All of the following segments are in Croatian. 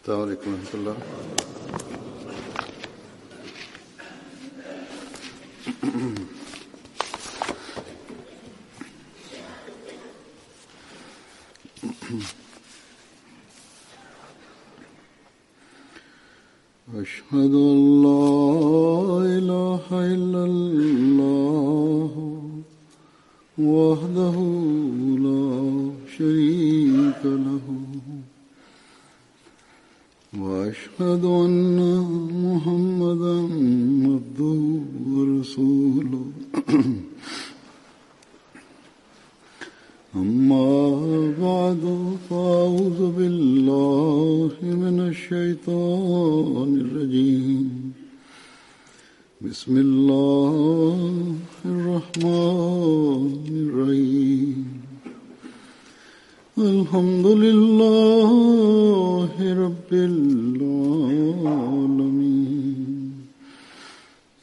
السلام عليكم ورحمة الله. أشهد أن لا إله إلا الله وحده لا شريك له وأشهد أن محمدا عبده ورسوله أما بعد فأعوذ بالله من الشيطان الرجيم بسم الله الرحمن الرحيم الحمد لله رب العالمين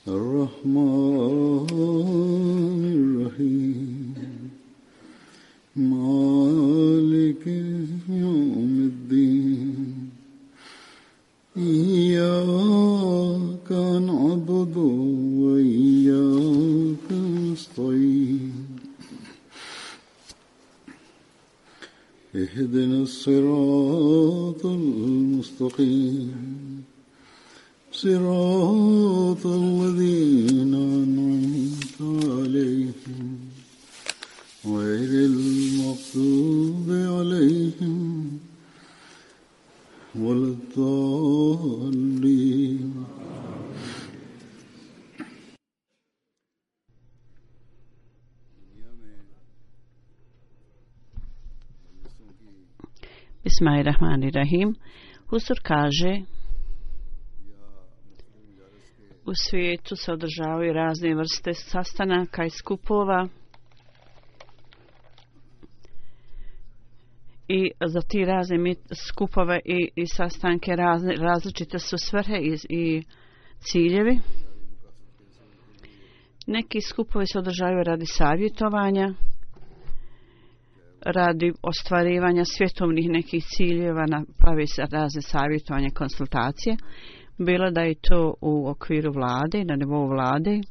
الرحمن الرحيم مالك يوم الدين إياك نعبد وإياك نستعين اهدنا الصراط المستقيم صراط الذين أنعمت عليهم غير المغضوب عليهم ولا الضالين. Bismillahirrahmanirrahim. Husur kaže: u svijetu se održavaju razne vrste sastanaka i skupova i za ti razne skupove i sastanke različite su svrhe i ciljevi. Neki skupovi se održavaju radi savjetovanja, radi ostvarivanja svjetovnih nekih ciljeva, pravi se razne savjetovanja, konsultacije, bilo da je to u okviru vlade, na nivou vlade,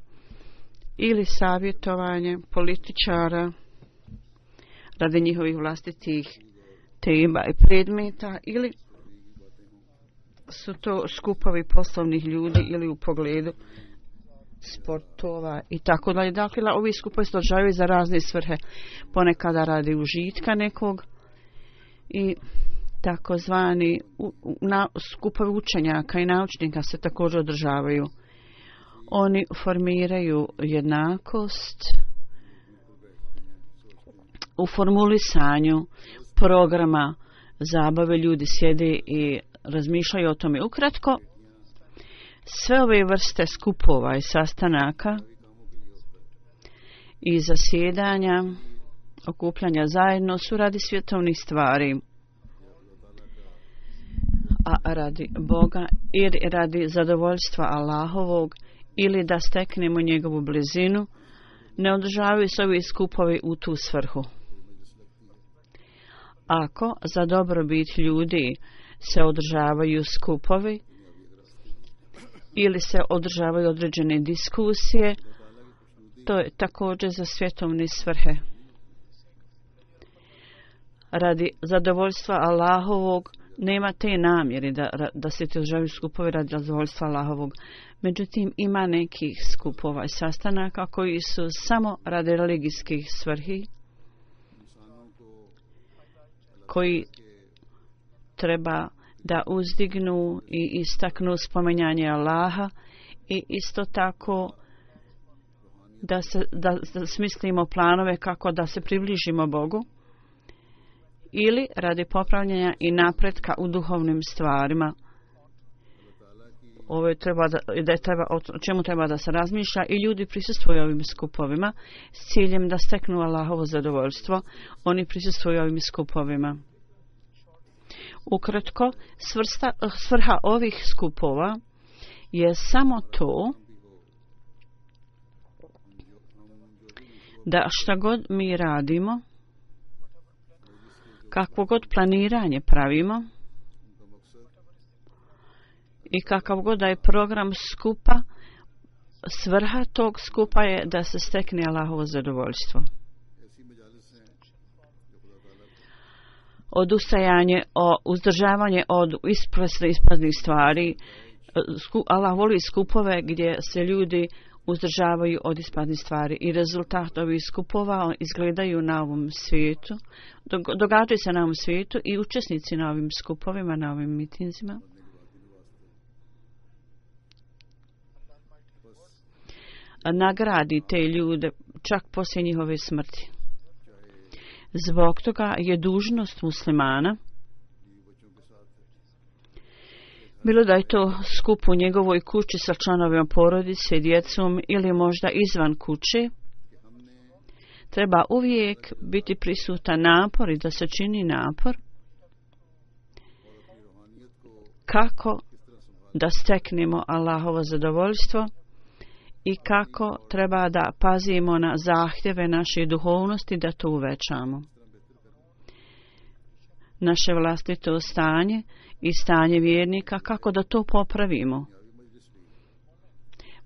ili savjetovanje političara radi njihovih vlastitih tema i predmeta, ili su to skupovi poslovnih ljudi ili u pogledu sportova i tako dalje. Dakle, ovi skupovi se održavaju za razne svrhe, ponekada radi užitka nekog i takozvani skupovi učenjaka i naučnika se također održavaju. Oni formiraju jednakost u formulisanju programa zabave. Ljudi sjede i razmišljaju o tome. Ukratko, sve ove vrste skupova i sastanaka i zasjedanja, okupljanja zajedno su radi svjetovnih stvari, a radi Boga ili radi zadovoljstva Allahovog ili da steknemo njegovu blizinu. Ne održavaju se ovi skupovi u tu svrhu. Ako za dobrobit ljudi se održavaju skupovi ili se održavaju određene diskusije, to je također za svjetovne svrhe. Radi zadovoljstva Allahovog nema te namjere da se te održavaju skupovi radi zadovoljstva Allahovog. Međutim, ima nekih skupova i sastanaka koji su samo radi religijskih svrhi, koji treba da uzdignu i istaknu spominjanje Allaha i isto tako da smislimo planove kako da se približimo Bogu, ili radi popravljanja i napretka u duhovnim stvarima. Ovo o čemu treba da se razmišlja i ljudi prisustvuju ovim skupovima s ciljem da steknu Allahovo zadovoljstvo. Oni prisustvuju ovim skupovima. Ukratko, svrha ovih skupova je samo to da šta god mi radimo, kakvo god planiranje pravimo, I kakav god da je program skupa, svrha tog skupa je da se stekne Allahovo zadovoljstvo. Odustajanje, uzdržavanje od ispraznih stvari. Allah voli skupove gdje se ljudi uzdržavaju od ispadnih stvari i rezultat ovih skupova izgledaju na ovom svijetu, događaju se na ovom svijetu i učesnici na ovim skupovima, na ovim mitinzima nagradi te ljude čak poslije njihove smrti. Zbog toga je dužnost muslimana, bilo da je to skup u njegovoj kući sa članovima porodice, djecom ili možda izvan kuće, treba uvijek biti prisutan napor i da se čini napor kako da steknemo Allahovo zadovoljstvo i kako treba da pazimo na zahtjeve naše duhovnosti da to uvećamo. Naše vlastito stanje i stanje vjernika, kako da to popravimo.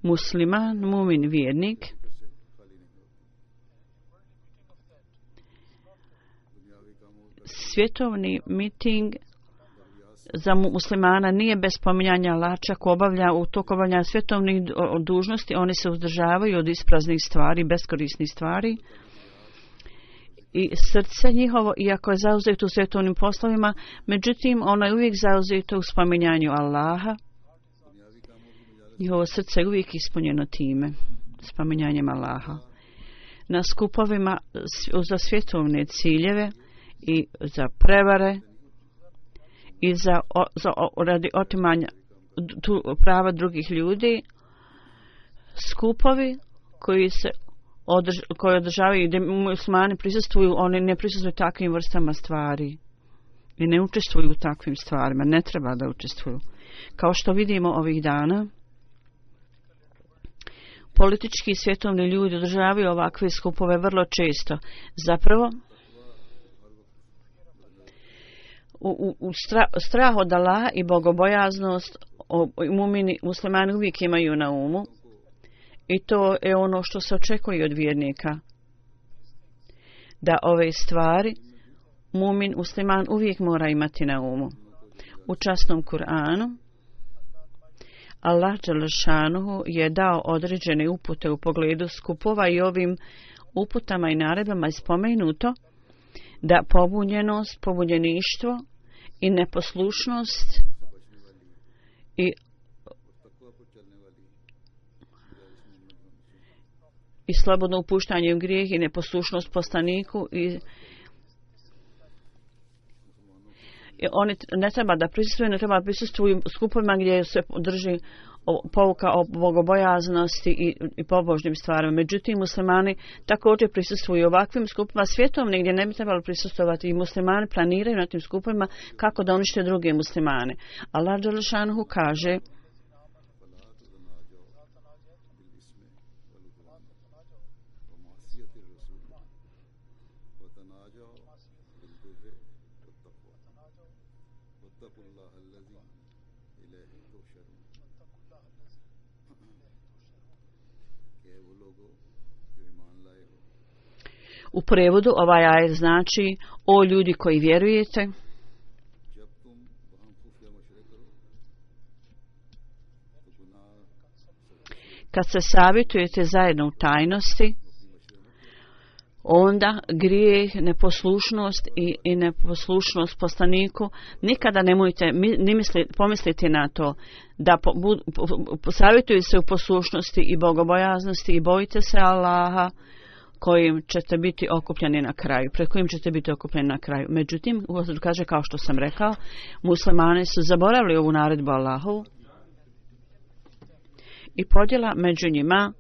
Musliman, mumin, vjernik svjetovni miting za muslimana nije bez spominjanja Allaha, čak obavlja u toku obavljanja svjetovnih dužnosti, oni se uzdržavaju od ispraznih stvari, beskorisnih stvari. I srce njihovo, iako je zauzeto u svjetovnim poslovima, međutim, ono je uvijek zauzeto u spominjanju Allaha. Njihovo srce je uvijek ispunjeno time, spominjanjem Allaha. Na skupovima za svjetovne ciljeve i za prevare i radi otimanja prava drugih ljudi, skupovi koji održavaju gdje muslimani prisustvuju, oni ne prisustvuju takvim vrstama stvari i ne učestvuju u takvim stvarima, ne treba da učestvuju. Kao što vidimo ovih dana, politički i svjetovni ljudi održavaju ovakve skupove vrlo često. Zapravo, strah od Allaha i bogobojaznost muslimani uvijek imaju na umu. I to je ono što se očekuje od vjernika. Da ove stvari mumin, musliman uvijek mora imati na umu. U časnom Kur'anu Allah dželešanuhu je dao određene upute u pogledu skupova i ovim uputama i naredbama je spomenuto da pobunjenost, pobunjeništvo i neposlušnost i slobodno upuštanje u grijeh i neposlušnost poslaniku i oni ne treba da prisustvuju, ne treba da prisustvuju skupovima gdje se drži pouka o bogobojaznosti i pobožnim stvarima. Međutim, muslimani također prisustvuju ovakvim skupovima svjetovnim gdje ne bi trebalo prisustvovati i muslimani planiraju na tim skupovima kako da unište druge muslimane. Allah dželešanuhu kaže: U prevodu ovaj ajet znači: o ljudi koji vjerujete, kad se savjetujete zajedno u tajnosti, onda grijeh, neposlušnost i neposlušnost poslaniku, nikada nemojte pomisliti na to da savjetujete se u poslušnosti i bogobojaznosti i bojite se Allaha kojim ćete biti okupljeni na kraju, pred kojim ćete biti okupljeni na kraju. Međutim, kaže, kao što sam rekao, muslimani su zaboravili ovu naredbu Allahovu i podjela među njima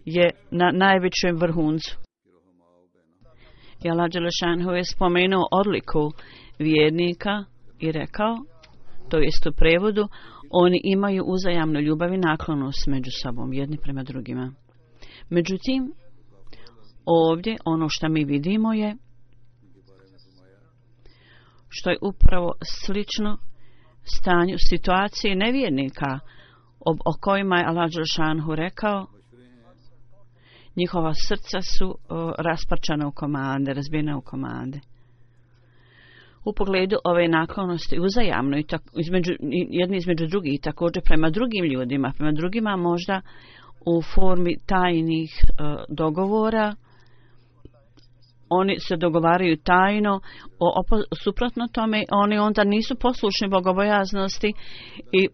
je na najvećem vrhuncu. I Allah dželešanuhu je spomenuo odliku vjernika i rekao, to jest u prevodu, oni imaju uzajamnu ljubav i naklonost među sobom, jedni prema drugima. Međutim, ovdje ono što mi vidimo je što je upravo slično stanju situacije nevjernika o kojima je Allah dželešanu rekao, njihova srca su rasparčana u komande, razbijena u komande. U pogledu ove naklonosti uzajamno i jedni između drugih i također prema drugim ljudima, prema drugima možda u formi tajnih dogovora. Oni se dogovaraju tajno, suprotno tome oni onda nisu poslušni bogobojaznosti i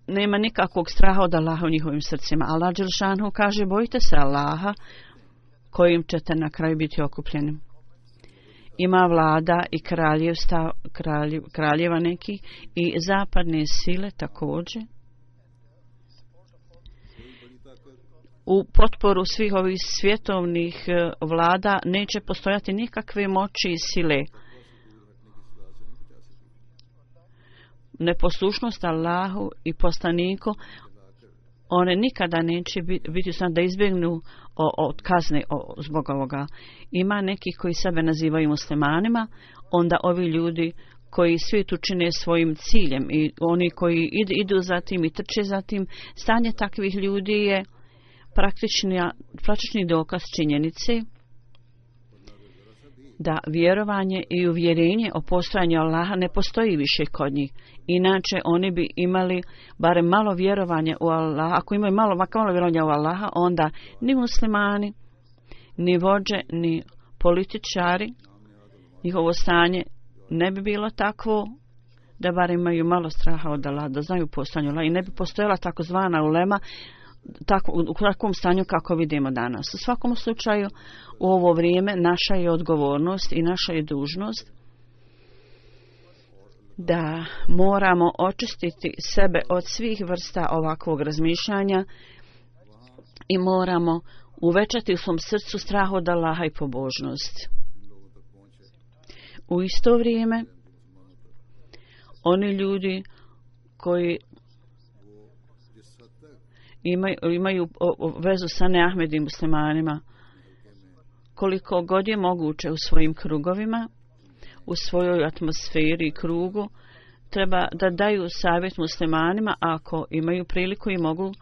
nema nikakvog straha od Allaha u njihovim srcima. Allah dželešanu kaže, bojite se Allaha kojim ćete na kraju biti okupljeni. Ima vlada i kraljeva neki i zapadne sile također. U potporu svih ovih svjetovnih vlada neće postojati nikakve moći i sile. Neposlušnost Allahu i poslaniku, one nikada neće biti sam da izbjegnu od kazne zbog ovoga. Ima neki koji sebe nazivaju muslimanima, onda ovi ljudi koji svijet učine svojim ciljem i oni koji idu za tim i trče za tim, stanje takvih ljudi je praktični dokaz činjenice da vjerovanje i uvjerenje o postojanju Allaha ne postoji više kod njih. Inače oni bi imali barem malo vjerovanja u Allaha. Ako imaju malo vjerovanja u Allaha, onda ni muslimani, ni vođe, ni političari, njihovo stanje ne bi bilo takvo da barem imaju malo straha od Allaha, da znaju postojanje Allaha i ne bi postojala takozvana ulema u takvom stanju kako vidimo danas. U svakom slučaju u ovo vrijeme naša je odgovornost i naša je dužnost da moramo očistiti sebe od svih vrsta ovakvog razmišljanja i moramo uvećati u svom srcu strah od Allaha i pobožnost. U isto vrijeme oni ljudi koji imaju vezu sa neahmedim muslimanima, koliko god je moguće u svojim krugovima, u svojoj atmosferi i krugu, treba da daju savjet muslimanima ako imaju priliku i mogu,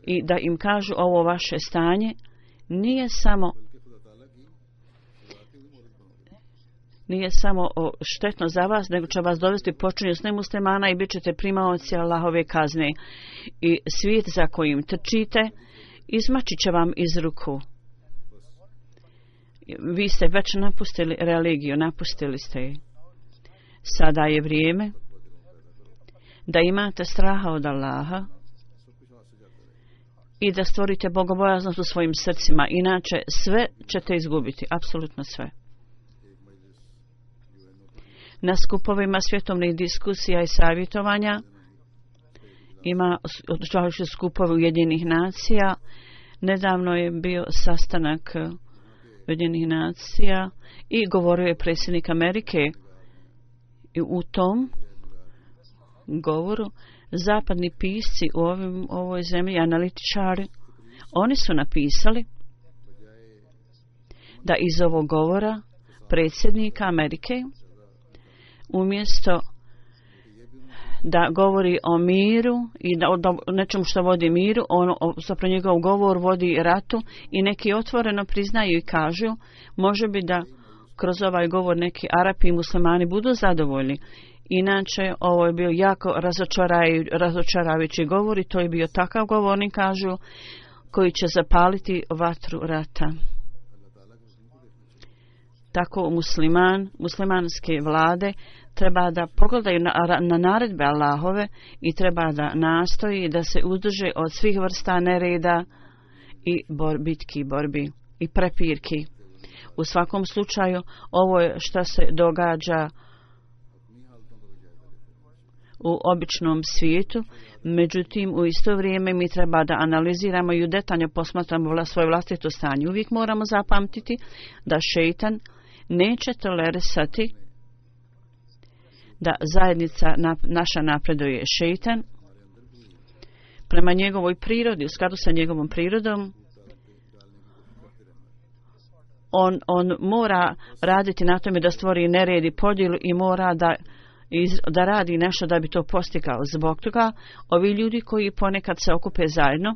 i da im kažu ovo vaše stanje nije samo štetno za vas, nego će vas dovesti počinju s nemuslimana i bit ćete primaoci Allahove kazne. I svijet za kojim trčite izmaći će vam iz ruku. Vi ste već napustili religiju, napustili ste je. Sada je vrijeme da imate straha od Allaha i da stvorite bogobojaznost u svojim srcima. Inače sve ćete izgubiti, apsolutno sve. Na skupovima svjetovnih diskusija i savjetovanja ima održavajući skupove Ujedinjenih nacija. Nedavno je bio sastanak Ujedinjenih nacija i govorio je predsjednik Amerike. I u tom govoru zapadni pisci u ovoj zemlji, analitičari, oni su napisali da iz ovog govora predsjednika Amerike, umjesto da govori o miru i da o nečemu što vodi miru, zapravo njegov govor vodi ratu i neki otvoreno priznaju i kažu, može bi da kroz ovaj govor neki Arapi i muslimani budu zadovoljni. Inače, ovo je bio jako razočaravajući govor i to je bio takav govor, oni kažu, koji će zapaliti vatru rata. Tako muslimanske vlade treba da pogledaju na naredbe Allahove i treba da nastoji da se uzdrže od svih vrsta nereda i bitki, borbi i prepirki. U svakom slučaju, ovo je što se događa u običnom svijetu, međutim u isto vrijeme mi treba da analiziramo i detaljno posmatramo svoje vlastito stanje. Uvijek moramo zapamtiti da šejtan neće tolerisati da zajednica naša napreduje. Šejtan prema njegovoj prirodi, u skladu sa njegovom prirodom, on mora raditi na tome da stvori nered i podjelu i mora da da radi nešto da bi to postigao. Zbog toga ovi ljudi koji ponekad se okupe zajedno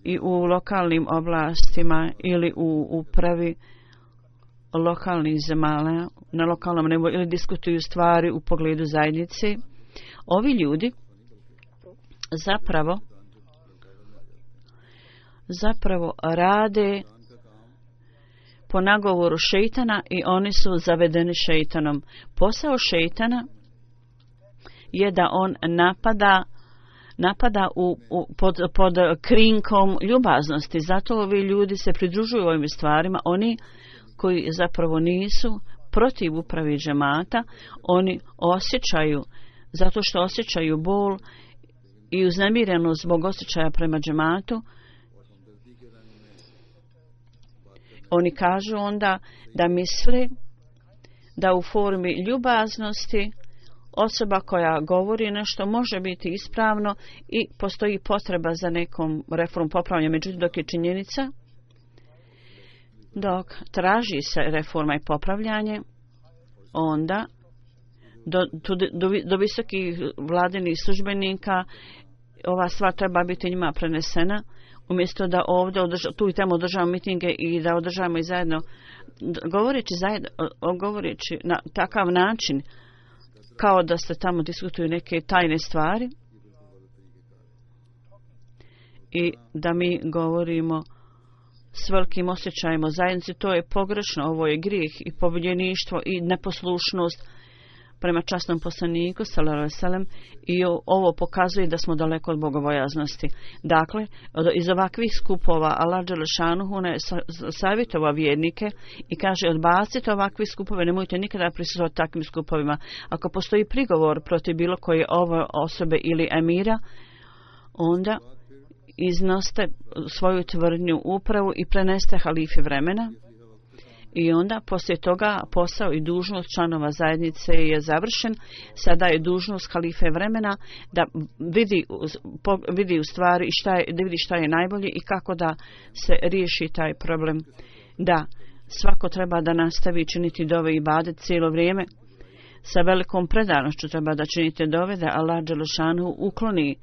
i u lokalnim oblastima ili u upravi lokalnih zemalja na lokalnom nivou ili diskutuju stvari u pogledu zajednice, ovi ljudi zapravo rade po nagovoru šejtana i oni su zavedeni šejtanom. Posao šejtana je da on napada pod krinkom ljubaznosti. Zato ovi ljudi se pridružuju ovim stvarima. Oni koji zapravo nisu protiv upravi džemata, oni osjećaju, zato što osjećaju bol i uznemirenost zbog osjećaja prema džematu, oni kažu onda da misle da u formi ljubaznosti osoba koja govori nešto može biti ispravno i postoji potreba za nekom reformom popravljanja. Međutim, dok je činjenica, dok traži se reforma i popravljanje, onda do visokih vladinih službenika ova stvar treba biti njima prenesena, umjesto da ovdje tu i tamo održavamo mitinge i da održavamo i zajedno, govoreći na takav način kao da se tamo diskutuju neke tajne stvari i da mi govorimo s velikim osjećajem o zajednici. To je pogrešno, ovo je grijeh i pobunjeništvo i neposlušnost prema časnom poslaniku sallallahu alejhi ve sellem, i ovo pokazuje da smo daleko od bogobojaznosti. Dakle, iz ovakvih skupova Allah dželešanuhu ne savjetovao vjernike i kaže: odbacite ovakve skupove, nemojte nikada prisustvovati takvim skupovima. Ako postoji prigovor protiv bilo koje ove osobe ili emira, onda iznoste svoju tvrdnju upravu i preneste halifi vremena. I onda poslije toga posao i dužnost članova zajednice je završen. Sada je dužnost halife vremena da vidi u stvari da vidi šta je najbolje i kako da se riješi taj problem. Da, svako treba da nastavi činiti dove i ibadet cijelo vrijeme. Sa velikom predanošću treba da činite dove da Allah dželešanu ukloni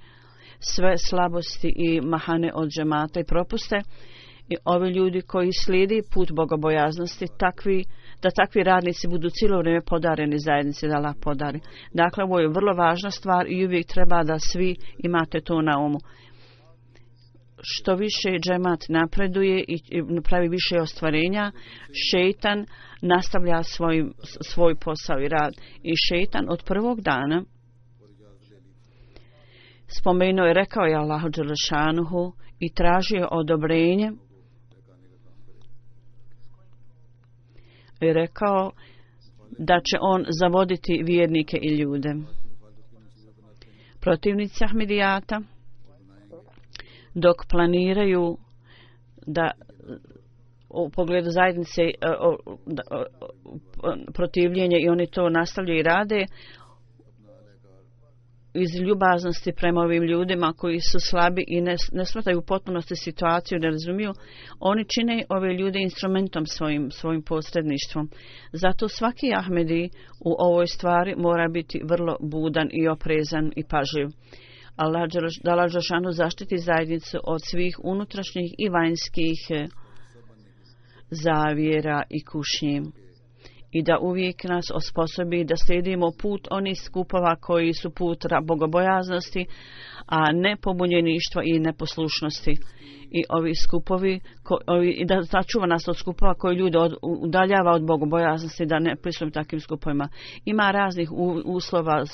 sve slabosti i mahane od džemata i propuste. I ovi ljudi koji slijedi put bogobojaznosti, da takvi radnici budu cijelo vrijeme podareni zajednici, da Allah podari. Dakle, ovo je vrlo važna stvar i uvijek treba da svi imate to na umu. Što više džemat napreduje i pravi više ostvarenja, šejtan nastavlja svoj posao i rad. I šejtan od prvog dana spomenuo je, rekao je Allahu dželešanuhu i tražio odobrenje i rekao da će on zavoditi vjernike i ljude. Protivnici Ahmedijata, dok planiraju da u pogledu zajednice protivljenje i oni to nastavljaju i rade iz ljubaznosti prema ovim ljudima koji su slabi i ne shvataju u potpunosti situaciju, ne razumiju, oni čine ove ljude instrumentom svojim posredništvom. Zato svaki Ahmedi u ovoj stvari mora biti vrlo budan i oprezan i pažljiv. Allah dželešanu zaštiti zajednicu od svih unutrašnjih i vanjskih zavjera i kušnji. I da uvijek nas osposobi da slijedimo put onih skupova koji su put bogobojaznosti, a ne pobunjeništva i neposlušnosti. I ovi skupovi, da začuva nas od skupova koji ljude udaljava od bogobojaznosti, da ne pristupimo takvim skupovima. Ima raznih uslova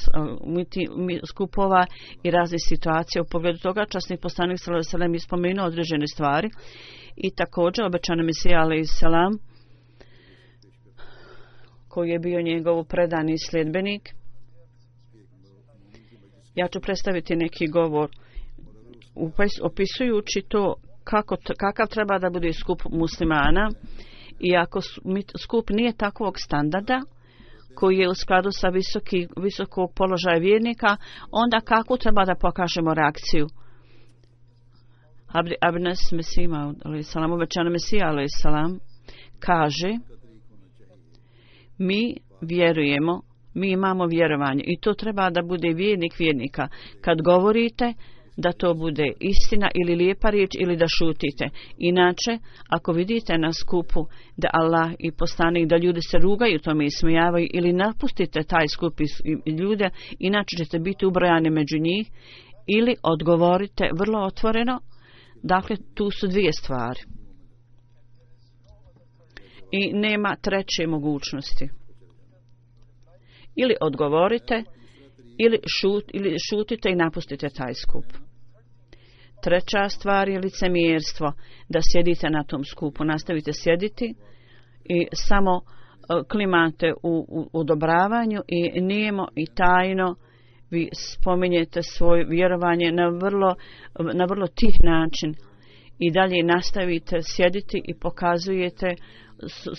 skupova i raznih situacija. U pogledu toga časni poslanik sallallahu alejhi ve sellem je spomenuo određene stvari i također obećani Mesija alejhi selam, koji je bio njegov predani sljedbenik. Ja ću predstaviti neki govor opisujući to kakav treba da bude skup muslimana, i ako skup nije takvog standarda koji je u skladu sa visokog položaja vjernika, onda kako treba da pokažemo reakciju. Abnes Mesima alejhi selam, obećani Mesija alejhi selam, kaže: mi vjerujemo Mi imamo vjerovanje i to treba da bude vjernik vjernika. Kad govorite, da to bude istina ili lijepa riječ ili da šutite. Inače, ako vidite na skupu da Allah i poslanik, da ljudi se rugaju tome i smijavaju ili napustite taj skup ljude, inače ćete biti ubrojani među njih ili odgovorite vrlo otvoreno. Dakle, tu su dvije stvari. I nema treće mogućnosti. Ili odgovorite ili šutite i napustite taj skup. Treća stvar je licemjerstvo, da sjedite na tom skupu, nastavite sjediti i samo klimate u odobravanju i nijemo i tajno vi spominjete svoje vjerovanje na vrlo tih način i dalje nastavite sjediti i pokazujete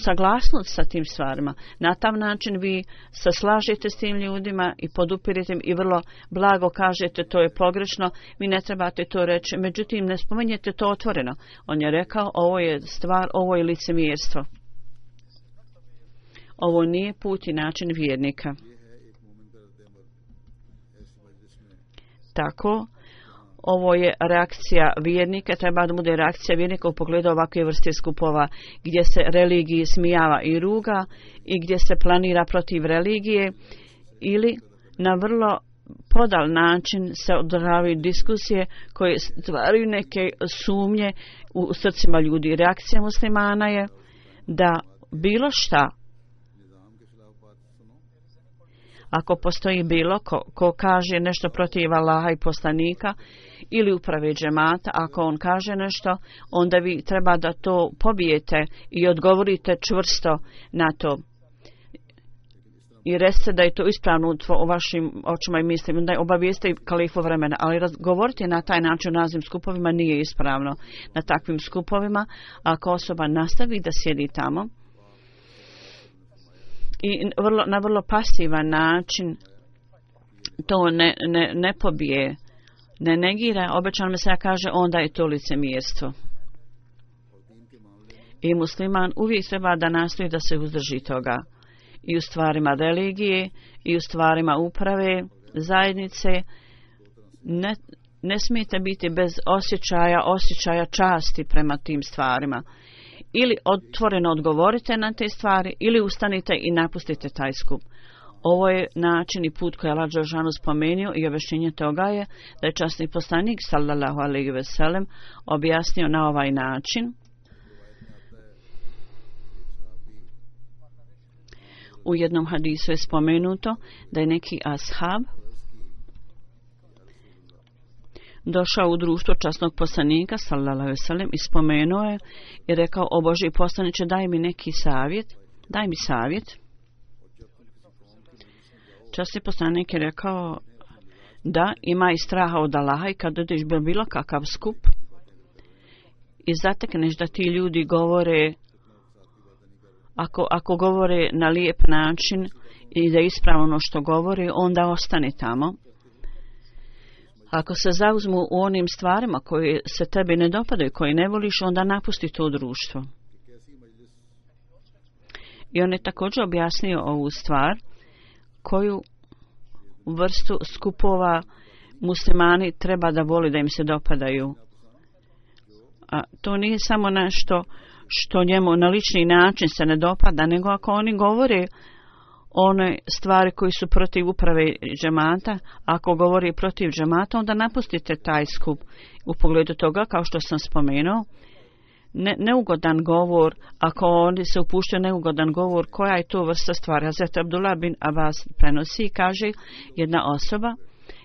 saglasnost sa tim stvarima. Na tam način vi se slažete s tim ljudima i podupirite im i vrlo blago kažete to je pogrešno, vi ne trebate to reći, međutim ne spominjete to otvoreno. On je rekao ovo je stvar, ovo je licemjerstvo. Ovo nije put i način vjernika. Tako, ovo je reakcija vjernika, treba da bude reakcija vjernika u pogledu ovakve vrste skupova gdje se religiji smijava i ruga i gdje se planira protiv religije ili na vrlo podal način se održavaju diskusije koje stvaraju neke sumnje u srcima ljudi. Reakcija muslimana je da bilo šta, ako postoji bilo ko kaže nešto protiv Allaha i poslanika ili uprave džemata, ako on kaže nešto, onda vi treba da to pobijete i odgovorite čvrsto na to. I recite da je to ispravno u vašim očima i mislima, da je obavijeste kalifu vremena, ali govoriti na taj način u raznim skupovima nije ispravno. Na takvim skupovima, ako osoba nastavi da sjedi tamo, i na vrlo pasivan način to ne pobije, ne negira, obećan Mesija kaže onda je to licemjerstvo. I musliman uvijek treba da nastoji da se uzdrži toga. I u stvarima religije, i u stvarima uprave, zajednice, ne smijete biti bez osjećaja časti prema tim stvarima. Ili otvoreno odgovorite na te stvari, ili ustanite i napustite taj skup. Ovo je način i put koji je Allah dželešanu spomenuo i objašnjenje toga je da je časni poslanik sallallahu alejhi ve sellem objasnio na ovaj način. U jednom hadisu je spomenuto da je neki ashab došao u društvo časnog poslanika sallallahu alejhi ve sellem i spomenuo je i rekao: o Božji poslaniče, daj mi neki savjet, daj mi savjet. Časni poslanik je rekao: da, imaj straha od Allaha i kad ideš bilo kakav skup i zatekneš da ti ljudi govore, ako govore na lijep način i da je ispravno ono što govori, onda ostane tamo. Ako se zauzmu u onim stvarima koje se tebi ne dopadaju, koje ne voliš, onda napusti to društvo. I on je također objasnio ovu stvar, koju vrstu skupova muslimani treba da voli, da im se dopadaju. A to nije samo nešto što njemu na lični način se ne dopada, nego ako oni govore one stvari koji su protiv uprave džemata, ako govori protiv džemata, onda napustite taj skup. U pogledu toga, kao što sam spomenuo, neugodan govor, ako oni se upuštaju neugodan govor, koja je to vrsta stvari? Hazret Abdullah bin Abbas prenosi i kaže, jedna osoba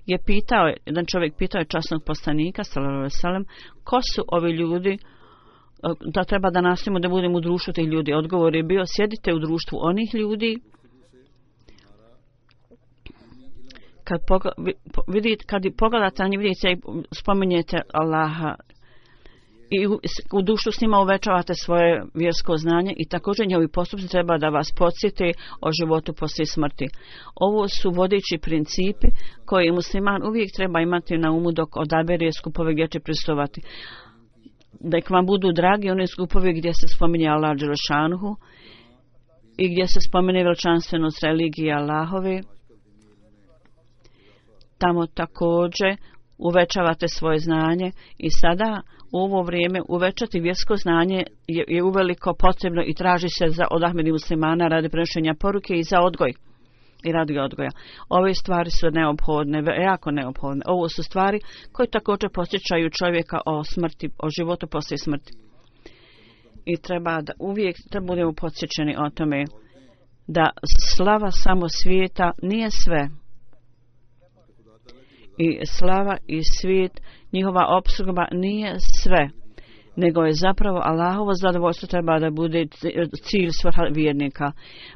je pitao, jedan čovjek pitao je časnog poslanika sallallahu alejhi ve sellem, ko su ovi ljudi, da treba da nastavimo da budemo u društvu tih ljudi. Odgovor je bio: sjedite u društvu onih ljudi kad pogledate na njih, vidite i spominjete Allaha i u društvu s njima uvećavate svoje vjersko znanje i također njihovi postupci treba da vas podsjete o životu poslije smrti. Ovo su vodeći principi koje musliman uvijek treba imati na umu dok odabere skupove gdje će prisustvovati. Da vam budu dragi one skupove gdje se spominje Allah dželešanu i gdje se spomene veličanstvenost religije Allahove, tamo također uvećavate svoje znanje i sada u ovo vrijeme uvećati vjersko znanje je uveliko potrebno i traži se od Ahmedi muslimana radi prenošenja poruke i za odgoj i radi odgoja. Ove stvari su neophodne, jako neophodne. Ovo su stvari koje također podsjećaju čovjeka o smrti, o životu poslije smrti. I treba da uvijek budemo podsjećeni o tome da slava samo svijeta nije sve. I slava i svijet, njihova opskrba nije sve, nego je zapravo Allahovo zadovoljstvo treba da bude cilj svrha vjernika.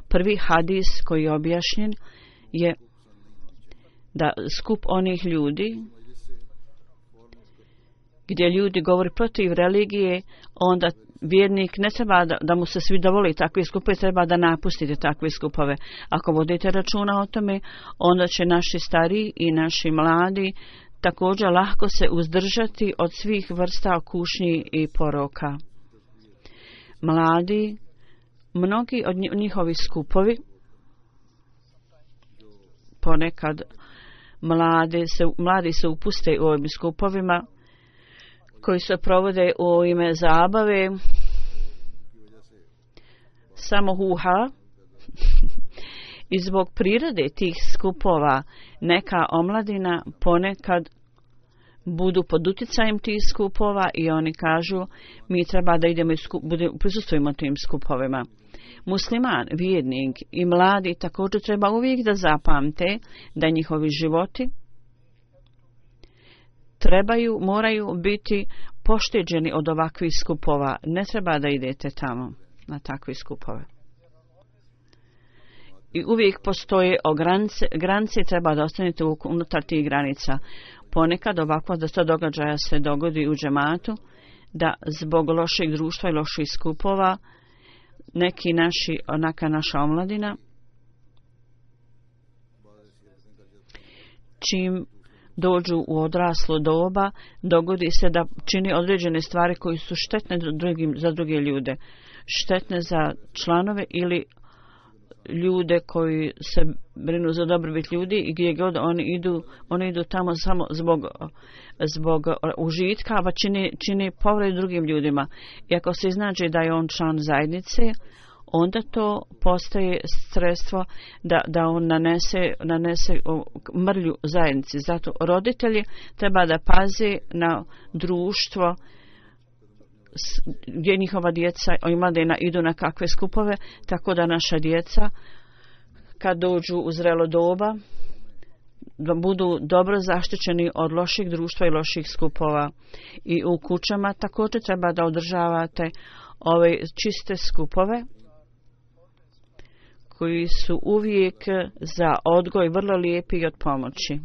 Prvi hadis koji je objašnjen je da skup onih ljudi gdje ljudi govori protiv religije, onda vjernik ne treba da mu se svi dovoli takve skupove, treba da napustite takve skupove. Ako vodite računa o tome, onda će naši stariji i naši mladi također lahko se uzdržati od svih vrsta kušnji i poroka. Mladi, mnogi od njihovi skupovi, ponekad mladi se upuste u ovim skupovima koji se provode u ime zabave, samo huha. I zbog prirode tih skupova neka omladina ponekad budu pod utjecajem tih skupova i oni kažu mi treba da idemo prisustvujemo tim skupovima. Musliman, vjernik i mladi također treba uvijek da zapamte da njihovi životi moraju biti pošteđeni od ovakvih skupova. Ne treba da idete tamo na takve skupove. I uvijek postoje granice, treba da ostanete unutar tih granica. Ponekad ovakva da se događaja se dogodi u džematu, da zbog lošeg društva i loših skupova neka naša omladina, čim dođu u odraslo doba, dogodi se da čini određene stvari koji su štetne za druge ljude, štetne za članove ili ljude koji se brinu za dobrobit ljudi i gdje god oni idu tamo samo zbog užitka, a čini povredu drugim ljudima. I ako se iznađe da je on član zajednice, onda to postaje sredstvo da on nanese mrlju zajednici. Zato roditelji treba da paze na društvo gdje njihova djeca i mladina idu na kakve skupove, tako da naša djeca kad dođu u zrelo doba da budu dobro zaštićeni od loših društva i loših skupova. I u kućama također treba da održavate ove čiste skupove koji su uvijek za odgoj vrlo lijepi i od pomoći.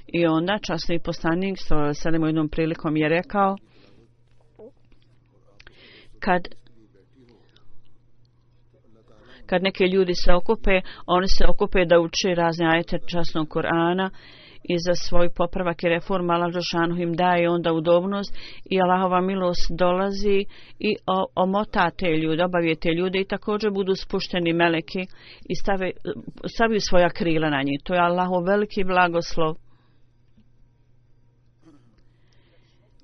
I onda časni poslanik u jednom prilikom je rekao, kad neki ljudi se okupe, oni se okupe da uče razne ajete časnog Kur'ana i za svoj popravak i reform Allah dželešanu im daje onda udobnost i Allahova milost dolazi i omota te ljude, obavije te ljude i također budu spušteni meleki i staviju svoja krila na njih. To je Allahov veliki blagoslov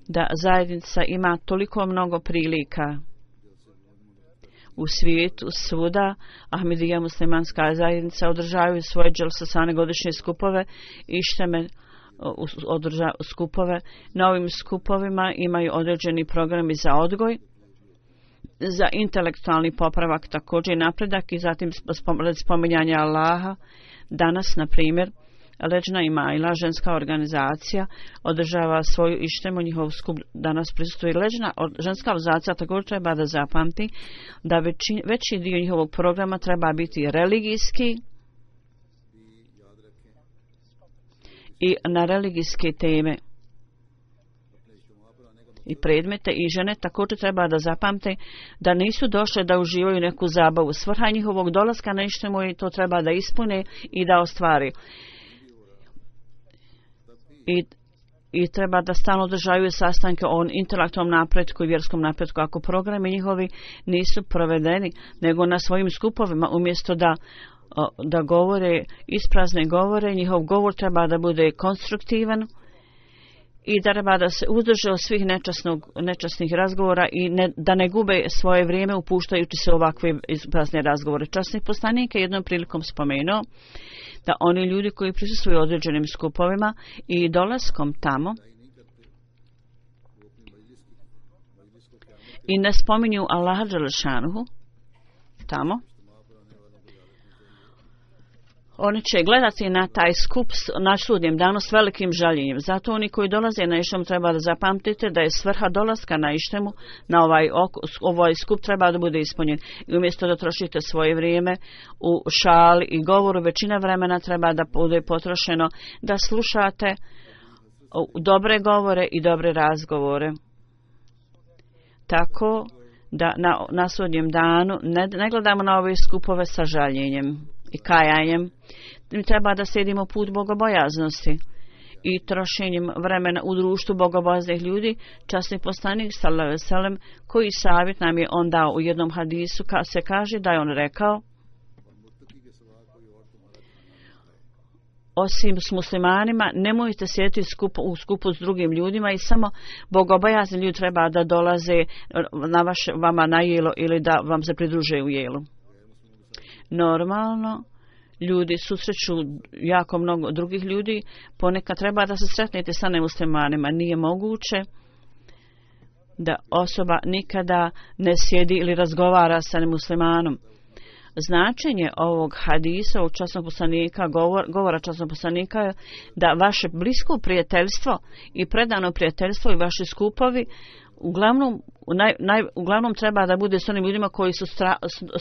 da zajednica ima toliko mnogo prilika u svijetu, svuda. Ahmedija muslimanska zajednica održavaju svoje dželsasane godišnje skupove i šteme skupove. Na ovim skupovima imaju određeni programi za odgoj, za intelektualni popravak također napredak i zatim spominjanje Allaha. Danas, na primjer, Leđna i Majla, ženska organizacija, održava svoju ištemu, njihov skup danas prisutuje. Leđna ženska organizacija također treba da zapamti da veći dio njihovog programa treba biti religijski i na religijske teme i predmete i žene također treba da zapamte da nisu došle da uživaju neku zabavu. Svrha njihovog dolaska na ištemu i to treba da ispune i da ostvari. i treba da stalno održavaju sastanke o intelektualnom napretku i vjerskom napretku. Ako programi njihovi nisu provedeni, nego na svojim skupovima, umjesto da govore isprazne govore, njihov govor treba da bude konstruktivan i da treba da se uzdrže od svih nečasnih razgovora i da ne gube svoje vrijeme upuštajući se ovakve isprazne razgovore. Časni poslanik je jednom prilikom spomenuo da oni ljudi koji prisustvuju određenim skupovima i dolaskom tamo i ne spominju Allaha dželešanuhu tamo, oni će gledati na taj skup na sudnjem danu s velikim žaljenjem. Zato oni koji dolaze na Ištemu treba da zapamtite da je svrha dolaska na Ištemu, na ovaj skup treba da bude ispunjen. I umjesto da trošite svoje vrijeme u šali i govoru, većina vremena treba da bude potrošeno da slušate dobre govore i dobre razgovore. Tako da na sudnjem danu ne gledamo na ove skupove sa žaljenjem i kajanjem. Mi treba da slijedimo put bogobojaznosti i trošenjem vremena u društvu bogobojaznih ljudi. Časni poslanik sallallahu alejhi ve sellem, koji savjet nam je on dao u jednom hadisu, se kaže da je on rekao: osim s muslimanima, nemojte sjediti u skupu s drugim ljudima i samo bogobojazni ljudi treba da dolaze vama na jelo ili da vam se pridruže u jelu. Normalno, ljudi susreću jako mnogo drugih ljudi, ponekad treba da se sretnete sa nemuslimanima. Nije moguće da osoba nikada ne sjedi ili razgovara sa nemuslimanom. Značenje ovog hadisa u časnog poslanika, govora časnog poslanika je da vaše blisko prijateljstvo i predano prijateljstvo i vaši skupovi uglavnom treba da bude s onim ljudima koji su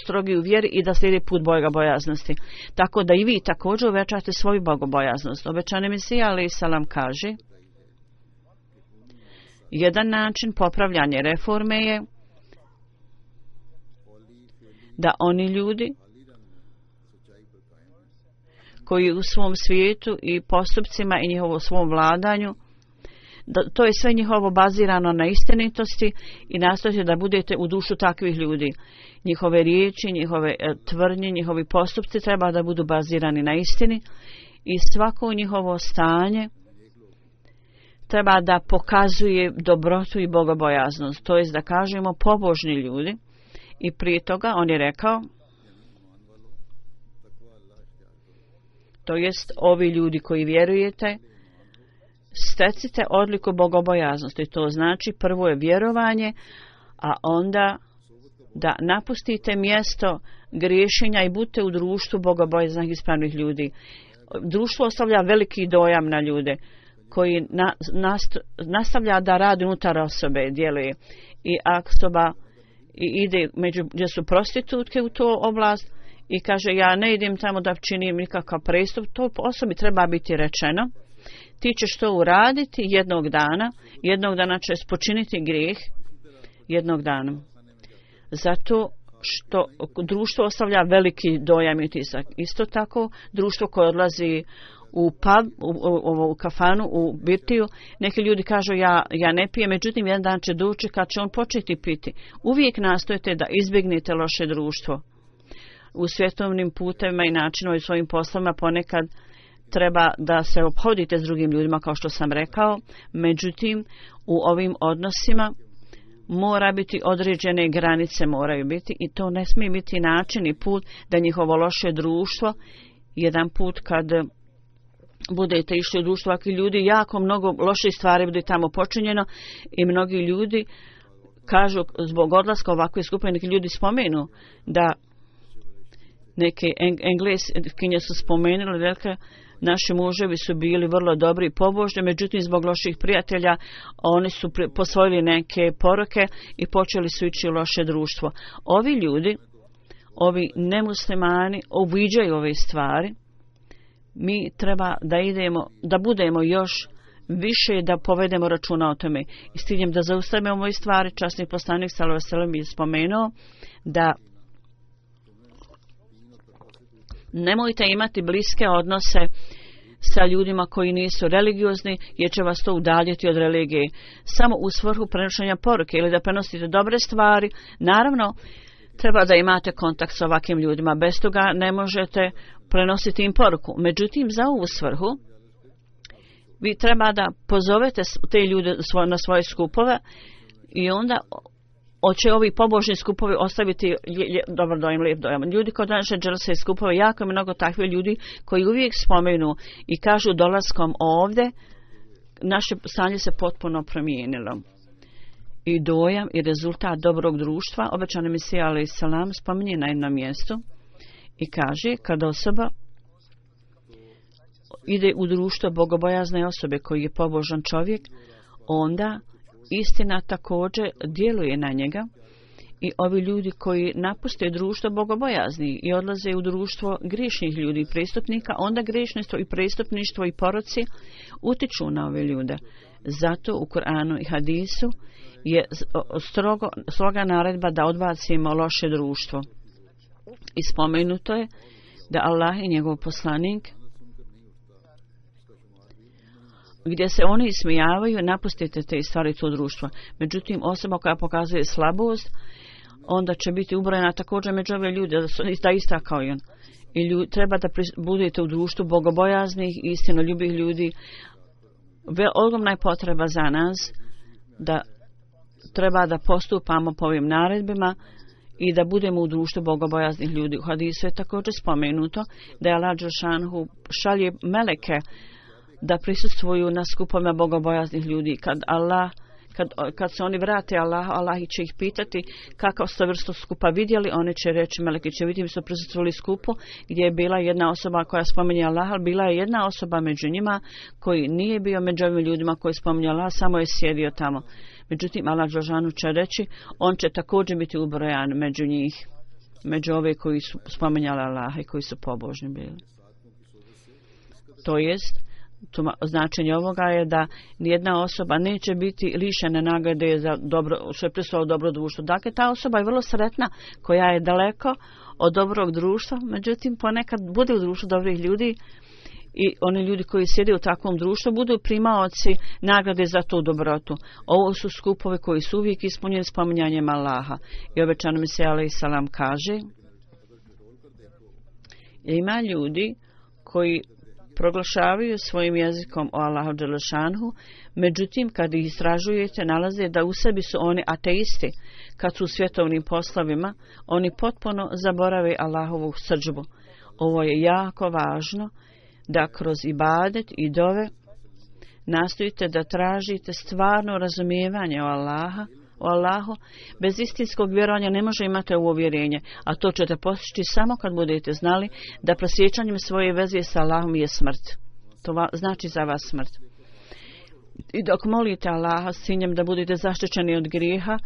strogi u vjeri i da slijedi put bogobojaznosti. Tako da i vi također uvećate svoju bogobojaznost. Obećani Mesija alejhi selam kaže: jedan način popravljanja reforme je da oni ljudi koji u svom svijetu i postupcima i njihovom svom vladanju, to je sve njihovo bazirano na istinitosti i nastojite da budete u dušu takvih ljudi. Njihove riječi, njihove tvrdnje, njihovi postupci treba da budu bazirani na istini i svako njihovo stanje treba da pokazuje dobrotu i bogobojaznost. To jest da kažemo pobožni ljudi. I prije toga on je rekao, to jest ovi ljudi koji vjerujete, stecite odliku bogobojaznosti. To znači prvo je vjerovanje, a onda da napustite mjesto griješenja i budete u društvu bogobojaznih ispravnih ljudi. Društvo ostavlja veliki dojam na ljude koji nastavlja da radi unutar osobe, djeluje. I ako osoba ide gdje su prostitutke u tu oblast i kaže ja ne idem tamo da činim nikakav prestup, to osobi treba biti rečeno: ti ćeš to uraditi jednog dana ćeš počiniti grijeh, jednog dana. Zato što društvo ostavlja veliki dojam i utisak. Isto tako društvo koje odlazi u pub, u kafanu, u birtiju, neki ljudi kažu ja ne pijem, međutim jedan dan će doći kad će on početi piti. Uvijek nastojite da izbjegnete loše društvo. U svjetovnim putevima i načinima i svojim poslovima ponekad treba da se ophodite s drugim ljudima, kao što sam rekao, međutim u ovim odnosima mora biti određene granice, moraju biti, i to ne smije biti način i put da njihovo loše društvo, jedan put kad budete išli u društvo ovakvi ljudi, jako mnogo loših stvari bude tamo počinjeno i mnogi ljudi kažu zbog odlaska ovakve skupine, neki ljudi spomenu da neke Engleskinje su spomenuli, velike naši muževi su bili vrlo dobri i pobožni, međutim zbog loših prijatelja oni su posvojili neke poroke i počeli su ići u loše društvo. Ovi ljudi, ovi nemuslimani uviđaju ove stvari. Mi treba da budemo još više, da povedemo računa o tome. I s ciljem da zaustavimo ove stvari, časni poslanik sallallahu alejhi ve sellem je spomenuo da nemojte imati bliske odnose sa ljudima koji nisu religiozni, jer će vas to udaljiti od religije. Samo u svrhu prenošenja poruke ili da prenosite dobre stvari, naravno, treba da imate kontakt s ovakvim ljudima. Bez toga ne možete prenositi im poruku. Međutim, za ovu svrhu, vi treba da pozovete te ljude na svoje skupove i onda hoće ovi pobožni skupovi ostaviti dobar dojam, lijep dojam. Ljudi kod naše dželse skupove, jako je mnogo takvih ljudi koji uvijek spomenu i kažu dolaskom ovdje, naše stanje se potpuno promijenilo. I dojam i rezultat dobrog društva, obećani Mesija alejhi selam spominje na jednom mjestu i kaže, kada osoba ide u društvo bogobojazne osobe koji je pobožan čovjek, onda istina također djeluje na njega i ovi ljudi koji napuste društvo bogobojazni i odlaze u društvo griješnih ljudi i prestupnika, onda griješništvo i prestupništvo i poroci utiču na ove ljude. Zato u Kur'anu i hadisu je stroga naredba da odbacimo loše društvo. I spomenuto je da Allah i njegov poslanik, gdje se oni ismijavaju, napustite te stvari to društvo. Međutim, osoba koja pokazuje slabost, onda će biti ubrojena također među ove ljude, da su ista kao i on. I treba da budete u društvu bogobojaznih i istinoljubih ljudi. Ogromna je potreba za nas da treba da postupamo po ovim naredbima i da budemo u društvu bogobojaznih ljudi. U hadisu je također spomenuto da je Allah dželešanohu šalje meleke da prisustvuju na skupovima bogobojaznih ljudi. Kad se oni vrate Allah će ih pitati kakav ste vrstu skupa vidjeli, oni će reći, meleki će vidjeti, mi su prisustvovali skupu gdje je bila jedna osoba koja spominje Allah, ali bila je jedna osoba među njima koji nije bio među ovim ljudima koji spominje Allah, samo je sjedio tamo. Međutim, Allah dželešanohu će reći, on će također biti ubrojan među njih, među ove koji su spominjali Allah i koji su pobožni bili. To jest, značenje ovoga je da nijedna osoba neće biti lišena nagrade za dobro, što je prisutilo dobro društvo. Dakle, ta osoba je vrlo sretna koja je daleko od dobrog društva, međutim ponekad bude u društvu dobrih ljudi i oni ljudi koji sjede u takvom društvu budu primaoci nagrade za tu dobrotu. Ovo su skupovi koji su uvijek ispunjeni spominjanjem Allaha. I obećani Mesija alejhi selam kaže, ima ljudi koji proglašavaju svojim jezikom o Allahu dželešanhu, međutim kad ih istražujete nalaze da u sebi su oni ateisti. Kad su u svjetovnim poslovima, oni potpuno zaborave Allahovu srdžbu. Ovo je jako važno da kroz ibadet i dove nastojite da tražite stvarno razumijevanje o Allahu. Bez istinskog vjerovanja ne može imati ovo uvjerenje, a to ćete postići samo kad budete znali da prosjećanjem svoje veze sa Allahom je smrt. To znači za vas smrt. I dok molite Allaha s ciljem da budete zaštićeni od grijeha,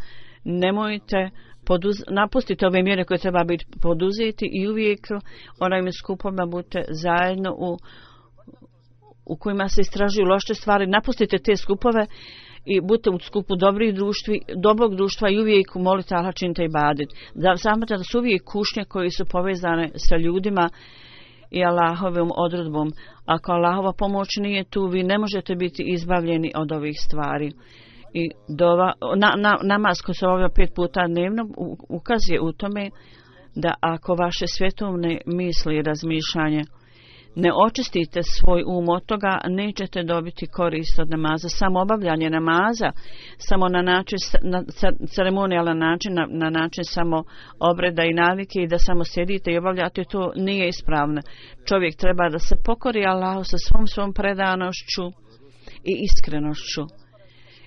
nemojte napustite ove mjere koje treba biti poduzeti i uvijek onajme skupovima budete zajedno u kojima se istražuju loše stvari. Napustite te skupove i budite u skupu dobrog društva i uvijek molite Allah, činite ibadet. Znate da su uvijek kušnje koji su povezane sa ljudima i Allahovom odredbom. Ako Allahova pomoć nije tu, vi ne možete biti izbavljeni od ovih stvari. I namaz koji se obavlja 5 puta dnevno ukazuje u tome da ako vaše svjetovne misli i razmišljanje ne očistite svoj od toga, nećete dobiti korist od namaza. Samo obavljanje namaza, samo na način, ceremonijalan način, na način samo obreda i navike i da samo sjedite i obavljate, to nije ispravno. Čovjek treba da se pokori Allahu sa svom predanošću i iskrenošću.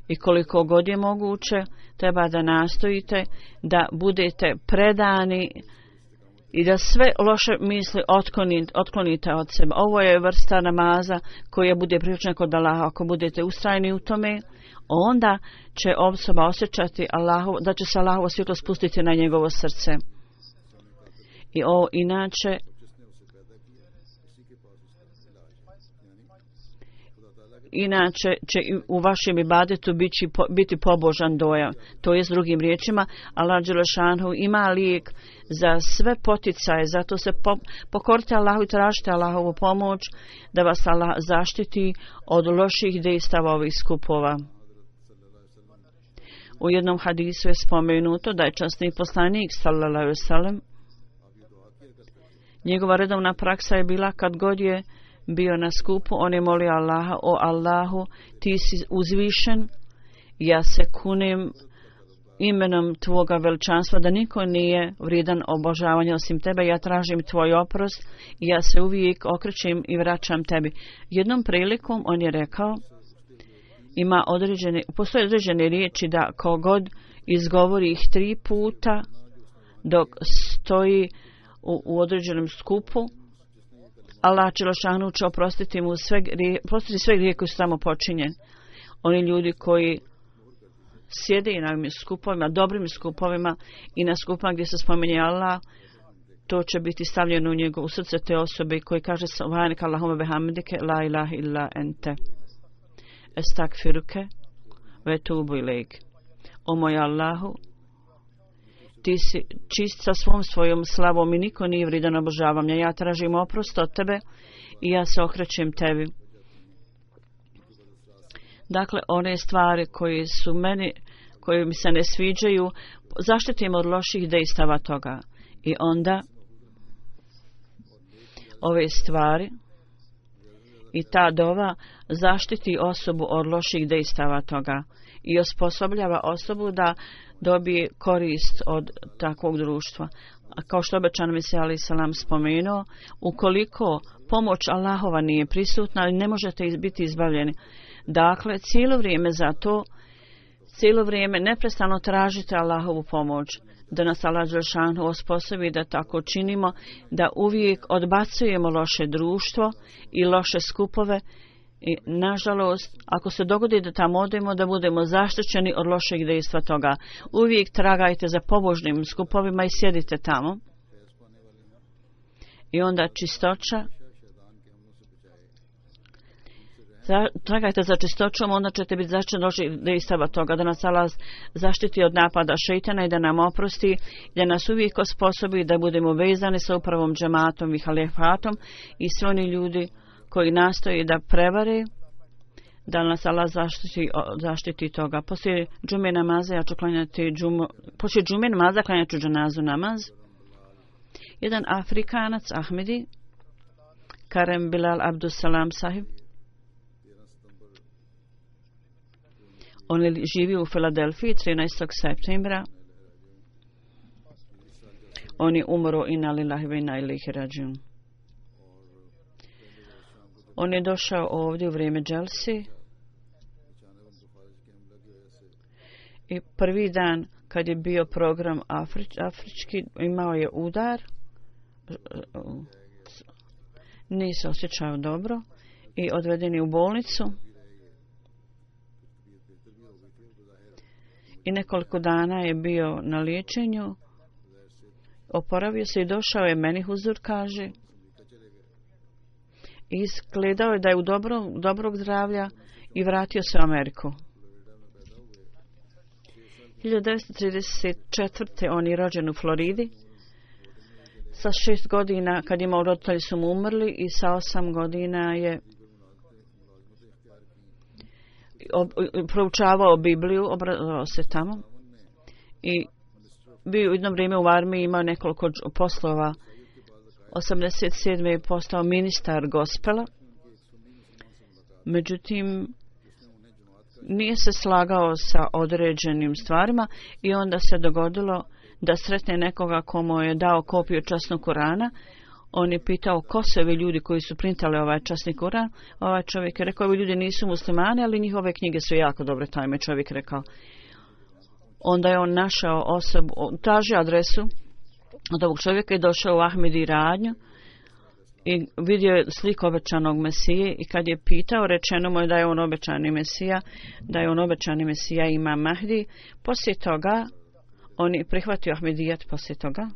I koliko god je moguće, treba da nastojite da budete predani i da sve loše misli otklonite od sebe. Ovo je vrsta namaza koja bude prihvaćena kod Allaha. Ako budete ustrajni u tome, onda će osoba osjećati da će se Allahovo svjetlo spustiti na njegovo srce. I ovo inače Inače će u vašem ibadetu biti pobožan dojam. To je s drugim riječima, Allah dželešanu ima lijek za sve poticaje, zato se pokorite Allahu i tražite Allahovu pomoć da vas Allah zaštiti od loših dejstava ovih skupova. U jednom hadisu je spomenuto da je časni poslanik sallallahu alejhi ve sellem, njegova redovna praksa je bila kad god je bio na skupu, on je molio Allaha: o Allahu, ti si uzvišen, ja se kunem imenom tvoga veličanstva da niko nije vrijedan obožavanja osim tebe, ja tražim tvoj oprost i ja se uvijek okrećem i vraćam tebi. Jednom prilikom on je rekao, postoje određene riječi da kogod izgovori ih 3 puta dok stoji u određenom skupu, Allah dželešanu će oprostiti mu sve grijehe koji su tamo počinjeni. Oni ljudi koji sjede i na ovim skupovima, dobrim skupovima i na skupama gdje se spominje Allah, to će biti stavljeno u srce te osobe koji kaže: subhanak Allahumma bihamdike la ilaha illa ente estakfiruke ve tubu ilejk. O moj Allahu, ti si čist sa svojom slavom i niko nije vrijedan obožavanja. Ja tražim oprost od tebe i ja se okrećem tebi. Dakle, one stvari koje mi se ne sviđaju, zaštitim od loših dejstava toga. I onda ove stvari i ta dova zaštiti osobu od loših dejstava toga i osposobljava osobu da dobije korist od takvog društva. A kao što obećan Mesija alejhi selam spomenuo, ukoliko pomoć Allahova nije prisutna, ne možete biti izbavljeni. Dakle, cijelo vrijeme neprestano tražite Allahovu pomoć, da nas Allah dželešanu osposobi da tako činimo, da uvijek odbacujemo loše društvo i loše skupove. I nažalost, ako se dogodi da tamo odemo, da budemo zaštićeni od lošeg dejstva toga. Uvijek tragajte za pobožnim skupovima i sjedite tamo. I onda čistoća. Tragajte za čistoćom, onda ćete biti zaštićeni od lošeg dejstava toga, da nas Allah zaštiti od napada šejtana i da nam oprosti, da nas uvijek osposobi da budemo vezani sa upravom džematom i halifatom i svi oni ljudi koji nastoji da prevare, da nas Allah zaštiti toga. Poslije džume namaza ja ću klanjati poslije džume namaza klanjat ću dženazu namaz. Jedan Afrikanac, Ahmedi, Karem Bilal Abdussalam sahib, on je živio u Filadelfiji 13. septembra. On je umro inna lillahi ve inna ilejhi rađiun. On je došao ovdje u vrijeme dželsi i prvi dan kad je bio program afrički, imao je udar, nije se osjećao dobro i odveden je u bolnicu i nekoliko dana je bio na liječenju, oporavio se i došao je meni huzur, kaže, izgledao je da je u dobrog zdravlja i vratio se u Ameriku. 1934. on je rođen u Floridi. Sa 6 godina, kad imao roditelji su mu umrli, i sa 8 godina je proučavao Bibliju, obrazovao se tamo i bio u jedno vrijeme u armiji, imao nekoliko poslova. 87. je postao ministar gospela, međutim nije se slagao sa određenim stvarima i onda se dogodilo da sretne nekoga komu je dao kopiju časnog Kurana. On je pitao ko su ovi ljudi koji su printali ovaj časni Kuran. Ovaj čovjek je rekao, ovi ljudi nisu muslimani, ali njihove knjige su jako dobre, taj me čovjek rekao. Onda je on našao osobu, tražio adresu od ovog čovjeka i došao u Ahmedi radnju i vidio je sliku obećanog Mesije i kad je pitao, rečeno mu je da je on obećani Mesija, da je on obećani Mesija Imam Mahdi. Poslije toga on je prihvatio Ahmedijat poslije toga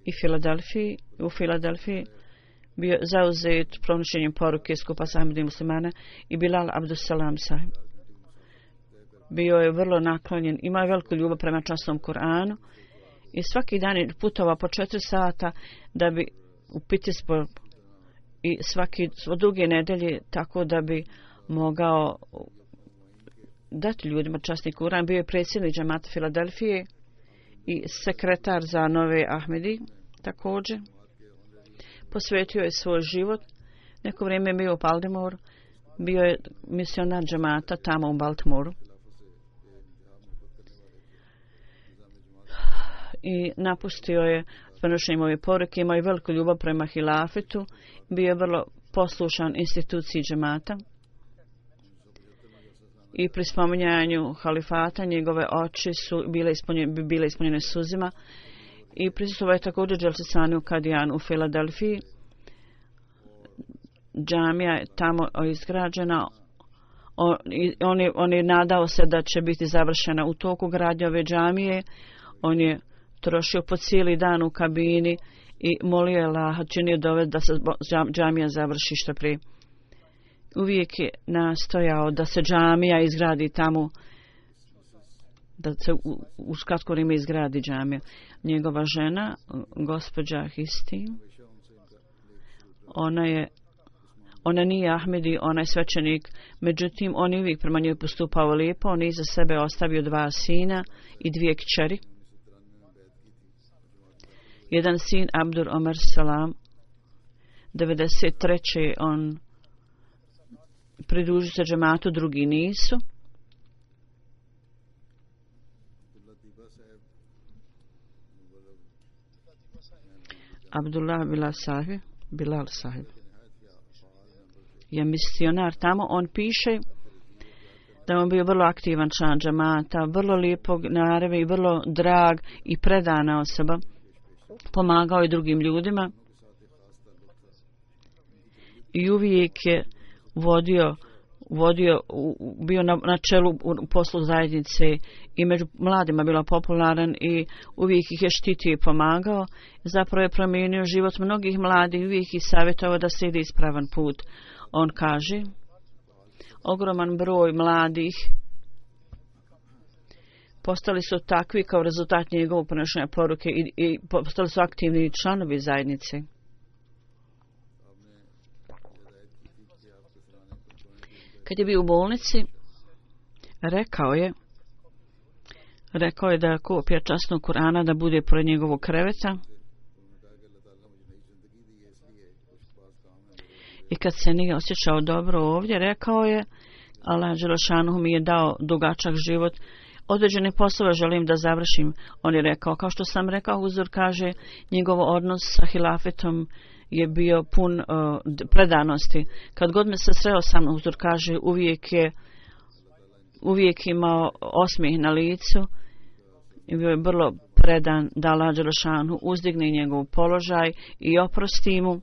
i u Filadelfiji bio zauzet pronošenjem poruke skupa sa Ahmedi muslimana i Bilal Abdussalam sahib. Bio je vrlo naklonjen, imao je veliku ljubav prema časnom Kur'anu i svaki dan je putovao po 4 sata da bi u Pittsburgh i svo druge nedelje tako da bi mogao dati ljudima časni Kur'an. Bio je predsjednik džamata Filadelfije i sekretar za Nove Ahmedi također. Posvetio je svoj život. Neko vrijeme je bio u Baltimoru. Bio je misionar džamata tamo u Baltimoru. I napustio je prenošenjem ove poruke. Imao je veliku ljubav prema hilafetu. Bio je vrlo poslušan instituciji džamata. I pri spominjanju halifata njegove oči su bile ispunjene suzima. I prisustvovao je također Dželsesani u Kadijanu u Filadelfiji. Džamija je tamo izgrađena. On je nadao se da će biti završena u toku gradnje ove džamije. On je trošio po cijeli dan u kabini i molio je Allaha, činio dove da se džamija završi što prije. Uvijek je nastojao da se džamija izgradi tamo, da se u kratko vrijeme izgradi džamija. Njegova žena, gospođa Histi, ona nije Ahmedi, ona je svećenik, međutim on je uvijek prema njoj postupao lijepo. On je iza sebe ostavio 2 sina i 2 kćeri. Jedan sin, Abdur Omar Salam, 93. on pridružio se džematu, drugi nisu. Abdullah Bilal sahib je misionar tamo. On piše da on bio vrlo aktivan član džamata, vrlo lijepog narave i vrlo drag i predana osoba. Pomagao je drugim ljudima i uvijek je bio na čelu u poslu zajednice i među mladima bila popularan i uvijek ih je štitio i pomagao. Zapravo je promijenio život mnogih mladih, uvijek ih savjetovao da se ide ispravan put. On kaže, ogroman broj mladih postali su takvi kao rezultat njegovog ponašanja poruke i postali su aktivni članovi zajednice. Kad je bio u bolnici, rekao je da kopija časnog Kur'ana da bude pored njegovog kreveta. I kad se nije osjećao dobro ovdje, rekao je, Allah dželešanu mi je dao dugačak život, određene poslove želim da završim. On je rekao, kao što sam rekao, Huzur kaže, njegov odnos sa hilafetom je bio pun predanosti. Kad god me se sreo sa mnom, Huzur kaže, uvijek imao osmijeh na licu i bio je vrlo predan da Allah dželešanu uzdigne njegov položaj i oprosti mu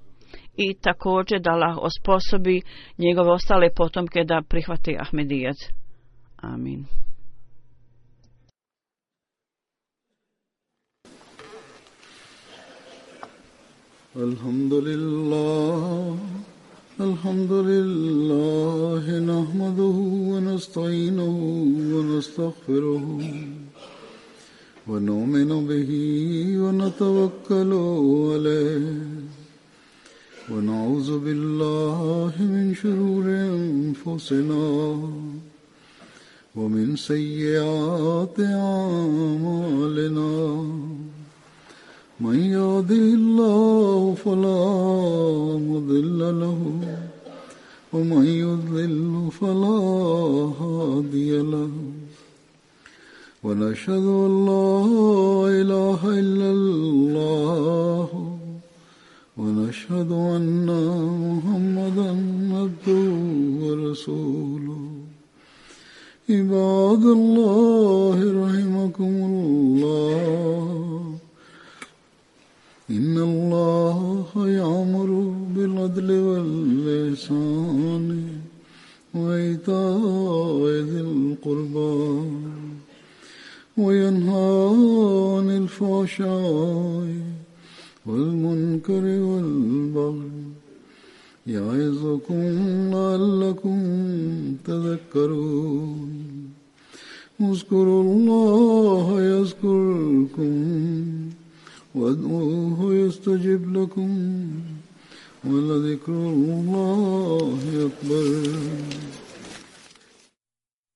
i također da Allah osposobi njegove ostale potomke da prihvate Ahmedijet. Amin. Alhamdulillah, nahmaduhu wa nasta'inuhu wa nastaghfiruhu wa nu'minu bihi wa natawakkalu alayhi wa na'udhu billahi min shururi anfusina wa min sayyiati a'malina. من يهده الله فلا مضل له ومن يضلل فلا هادي له ونشهد أن لا إله إلا الله ونشهد أن محمدا عبده ورسوله. عباد الله رحمكم الله، إن الله يأمر بالعدل والإحسان وإيتاء ذي القربى وينهى عن الفحشاء والمنكر والبغي يعظكم لعلكم تذكرون اذكروا الله يذكركم وادعوه يستجب لكم ولذكر الله أكبر